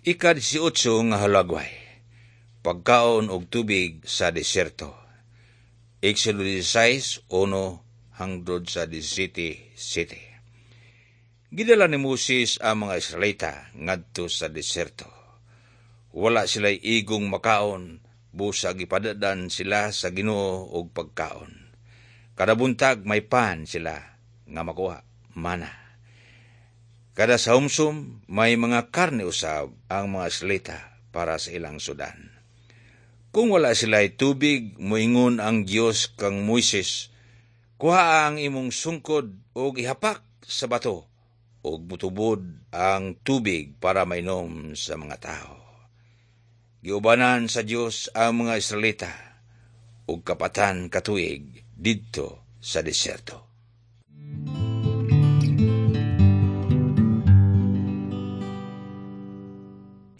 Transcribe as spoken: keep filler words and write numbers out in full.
Ika-diesotso nga hulagway. Pagkaon og tubig sa disyerto. Exodo sixteen, uno hangtod sa labing-siyete, siyete. Gidala ni Moses ang mga Israelita ngadto sa disyerto. Wala sila igong makaon, busa gipadad-an sila sa Ginoo og pagkaon. Kada buntag may pan sila nga makuha, mana. Kada sahumsum may mga karne usab ang mga Israelita para sa ilang sudan. Kung wala sila tubig, moingon ang Dios kang Moises, kuha ang imong sungkod og ihapak sa bato ug mutubod ang tubig para mainom sa mga tao. Giubanan sa Dios ang mga Israelita ug kapatan ka tuig didto sa disyerto.